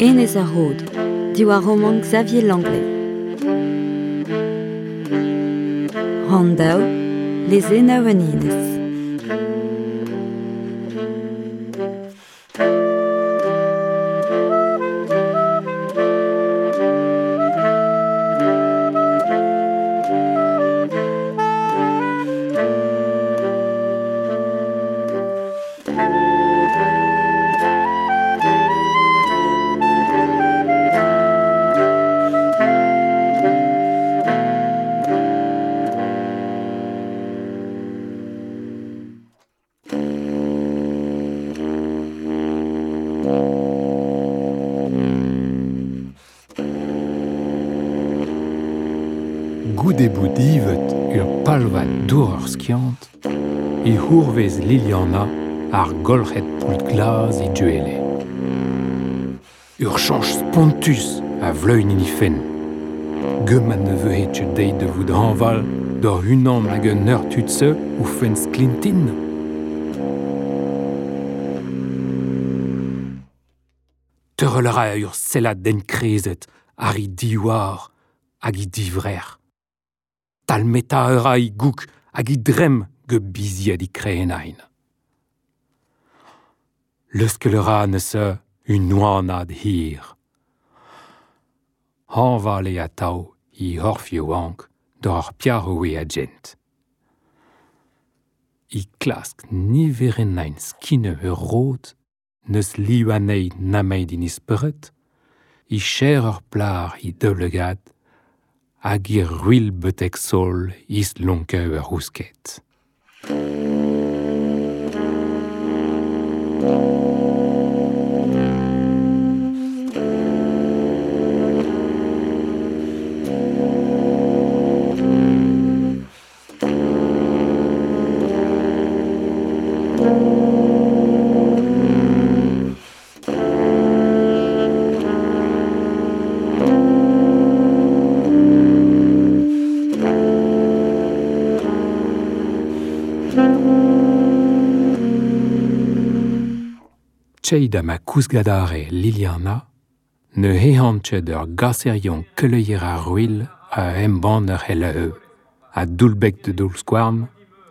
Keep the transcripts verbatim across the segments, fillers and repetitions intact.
Enez ar Rod, diwar romant Xavier Langlais. Rann daou, lezennoù an enez. Goude bout ivet ur palvad dour ur skiant, e c'hourvez Liliana ar golc'hed poult glas e duele. Ur chañch spontus a vleun en he fenn. Geumat ne vehe ket deiz da vout hañval d'ur unan hag un eur tud-se o fenn sklintin. Teurel a ra ur sellad enkrezet ar he diwar hag he divrec'h. Talmeta ur a gouk hag he dremm ge biziad he krenain. Leuskel ur a neuze un oanad hir. Hañval eo atav he c'horf yaouank d'ur ar piaroue a gent. He klask niverennain skine ur rod, neus liv anezhi nemet en he spered, he cher ur plar he daoulagad, hag he ruilh betek sol islonkañ ur c'housket. Tcheid ha ma kousgadare Liliana, ne ehan ket ur gaserion keleier ar ruilh a embann ur c'heleu, a doullbeg da doull-skouarn,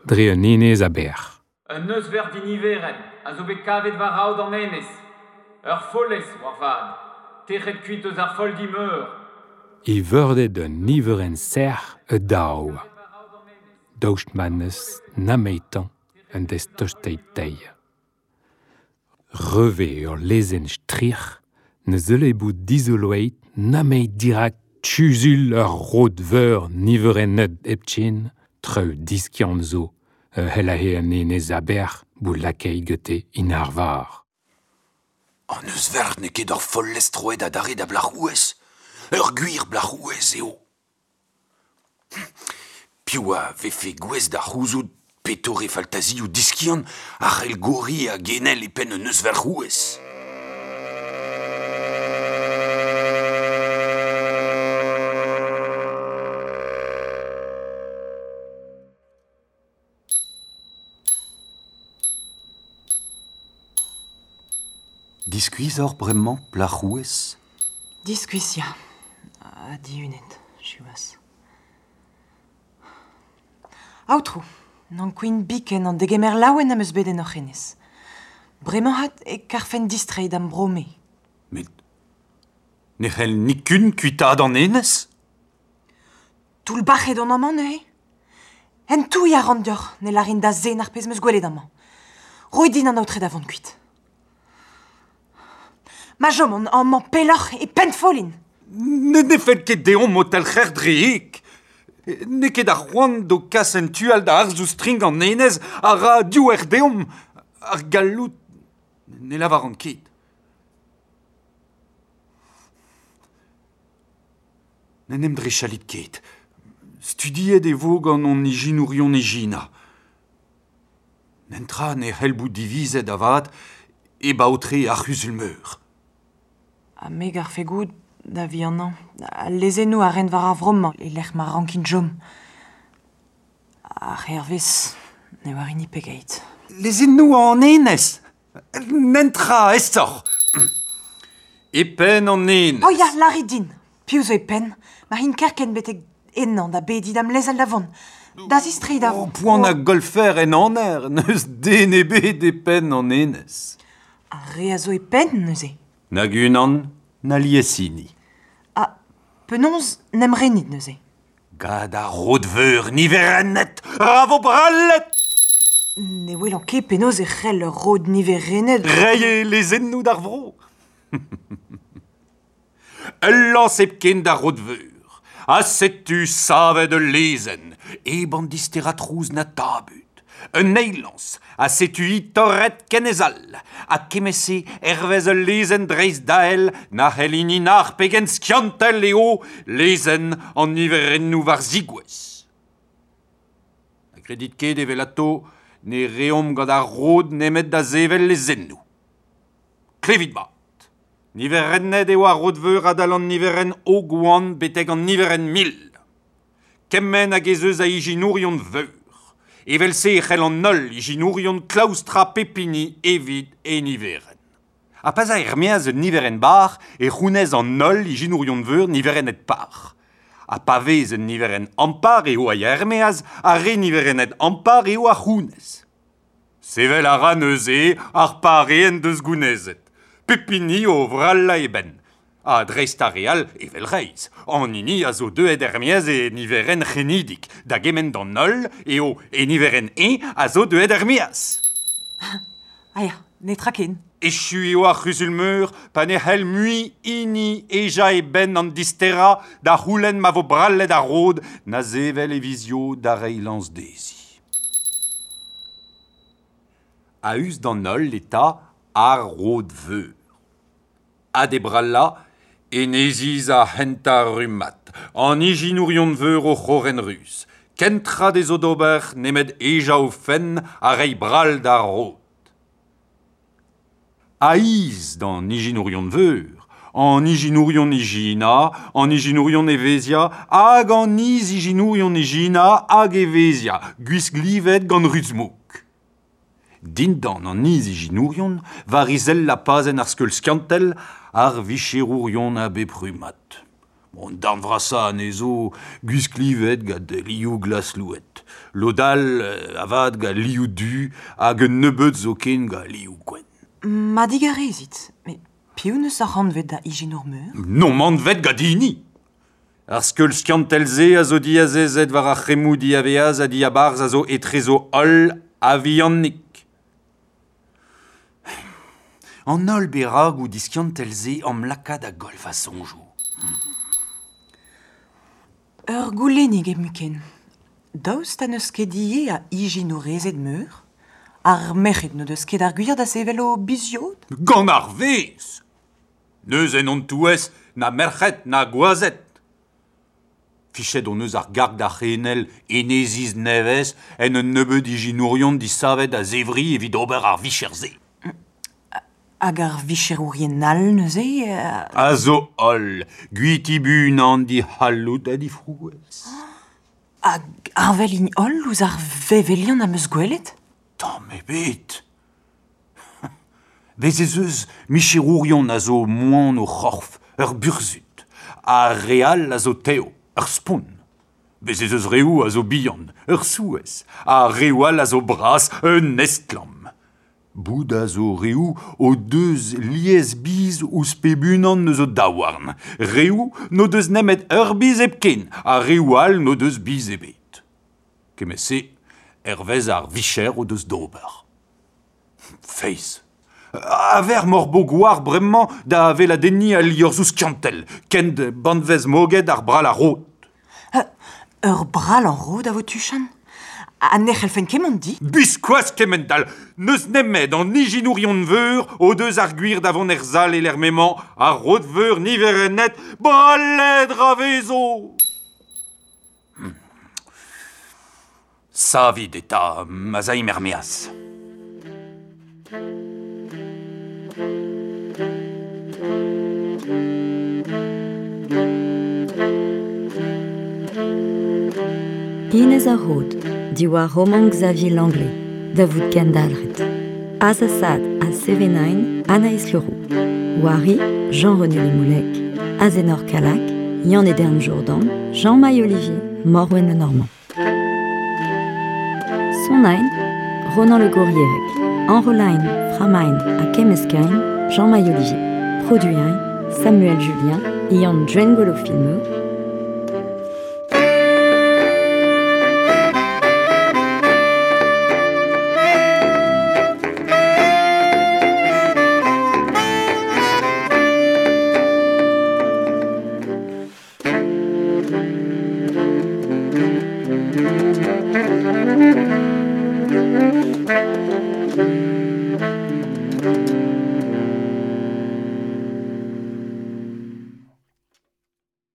dre un enez a-berr. Un euzhvert diniveren a zo bet kavet war aod an enez. Ur follez, war vat, tec'het kuit eus ar folldi meur. E veurded un niverenn serc'h e daou. Daoust ma n'eus nametañ un dez tosteit dezhi. Reve ur lezenn stric'h ne zeule bout dizoloet nemet dirak kuzul ur rod veur niverennet hepken, treu diskiant zo ur c'hellahe an enez a-berr bout lakaet gante en arvar. An euzhvert n'eo ket ur follez troet adarre da blac'h-ouez. Ur gwir blac'h-ouez eo. Piv a vefe gouest da c'houzout petore faltazioù diskiant a c'hell goriñ ha genel e penn un euzhvert-c'houez. Diskuizh oc'h bremañ, plac'h-ouez ? Diskuizh, ya. Ha dihunet, siwazh. Aotrou, n'ankouin biken an degemer laouen am eus bet en hoc'h enez. Bremañ hat e karfen distreiñ d'am bro-me. Met ne c'hell nikun kuitaat an enez ? Toullbac'het on amañ neuze. En touilh a ran deoc'h ne lârin da zen ar pezh 'm eus gwelet amañ. Roit din an aotre da vont kuit. Ma chom on amañ pelloc'h e pennfollin. Ne ne fell ket deomp o talc'her dre heg. N'eo ket ar c'hoant d'ho kas en tu all da arzoù strink an enez a ra diouer deomp ar galloud ne lavaran ket. N'en em drechalit ket. Studiet e vo gant hon ijinourion ijinañ. Nentra ne c'hell bout divizet avat e baotre ar c'huzul-meur. Ha me garfe goût da vihanañ, al lezennoù a ren war ar vro-mañ e lec'h ma rankin chom. Ar hervez ne oar hini pegeit. Lezennoù an enez ! Nentra aesoc'h ! E penn an enez. Oh ya, lârit din. Piv zo e penn, ma hin kerkent betek ennañ da bediñ da'm lezel da vont. Da zistreiñ da... O poan a golfer en aner, n'eus den ebet e penn an enez. Ar re a zo e penn neuze. Nag unan, na liesini. Ha penaos n'em renit neuze. Gant ar rod-veur niverennet, ra vo brallet! Ne welan ket penaos e c'hell ur rod niverennet... Reiñ e lezennoù d'ar vro. Ul lañs hepken d'ar rod-veur, ha setu savet ul lezenn, hep an disterañ trouz na tabut. Un eil lañs, ha setu hi torret ken ez all, ha kement-se hervez ul lezenn dreist-dael na c'hell hini nac'h pegen skiantel eo lezenn an niverennoù war zigouez. Na gredit ket evelato ne reomp gant ar rod nemet da sevel lezennoù. Klevit mat. Niverennet eo ar rod-veur adal an niverenn o gwan betek an niverenn mil. Kement hag ez eus a ijinourion veur. Evel-se e c'hell an holl ijinourion klaoustra pep hini evit e niverenn. Ha pa 'z a er-maez un niverenn bar e c'hounez an holl ijinourion veur niverennet par. Ha pa vez un niverenn ampar eo a ya er-maez, ar re niverennet ampar eo a c'hounez. Sevel a ra neuze ar pare en deus gounezet. Pep hini o vrallañ e benn. Ha dreist ar re all evel reizh. An hini a zo deuet er-maez e niverenn c'henidik. Da gement d'an holl eo e niverenn eñ a zo deuet er-maez. Ah ya, netra ken. Echu eo ar c'huzul-meur pa ne c'hell mui hini ejañ e benn an disterañ da c'houlenn ma vo brallet ar rod na sevel e vizio da reiñ lañs dezhi. A-us d'an holl eta ar rod-veur. Ha d'e brallañ, eneziz ar c'hentañ rummad, an ijinourion veur o c'horren ruz. Kentra dezho d'ober nemet ejañ o fenn ha reiñ brall d'ar rod. A-is d'an ijinourion veur, an ijinourion ijinañ, an ijinourion evezhiañ, hag an iz-ijinourion ijinañ hag evezhiañ, gwisk livet gant ruz-mouk. Dindan an iz-ijinourion, war izellañ pazenn ar skeul skiantel, ar vicherourion a bep rummad. An darn vrasañ anezho gwisklivet gant liv glas-louet. Lod all avat gant liv du hag un nebeud zoken gant liv gwenn. Ma digarezit, met piv n'eus ar anvet da ijinour meur? N'omp anvet gant hini. Ar skeul skiantel-se a zo diazezet war ar c'hemmoù diaveaz ha diabarzh a zo etrezo holl a-vihanik. An holl beragoù diskiantel-se am laka da goll va soñjoù. Ur goulennig hepmuiken. Daoust ha n'eus ket ivez a ijinourezed meur? Ar merc'hed n'o deus ket ar gwir da sevel o biziod? Gant ar vezh! N'eus en hon touez na merc'hed na gwazed. Fichet hon eus ar garg da c'henel eneziz nevez en un nebeud ijinourion disavet a-zevri evit ober ar vicher-se. Hag ar vicherourien all neuze... Euh... A zo holl, gwitibunan dic'halloud ha difrouezh. Hag heñvel int holl ouzh ar vevelion am eus gwelet? Tamm ebet. Bez ez eus micherourion a zo moan o c'horf, ur burzhud, ha re all a zo tev, ur spont. Bez ez eus reoù a zo bihan, ur souezh, ha reoù all a zo bras, un estlamm. Bout a zo reoù o deus lies biz ouzh pep unan eus o daouarn. Reoù n'o deus nemet ur biz hepken, ha reoù all n'o deus biz ebet. Kement-se, hervez ar vicher o deus d'ober. Feiz. A-vec'h m'hor bo gwar bremañ da weladenniñ al liorzhoù skiantel, kent banvez moged ar brall ar rod. Ur brall an rod a vo tuchant? Ha ne c'hellfen ket mont di? Biskoazh kement-all! N'eus nemet an ijinourion veur o deus ar gwir da vont er sal e lec'h m'emañ ar rod-veur niverennet brallet ra vezo! Savit eta ma'z aimp er-maez. Enez ar Rod, diwar romant Xavier Langlais, da vout kendalc'het. Azasad ha Sevenain, Anaïs Leroux. Wari, Jean-René Le Moullec, Azenor Calac, Yann Edern Jourdan, Jean-Maï Olivier, Morwen Le Normand. Sonain, Ronan Le Gourrierec, Enrolain, Framain ha Kemmeskein, Jean-Maï Olivier. Produain, Samuel Julien, Ian Drengolo Filmeux,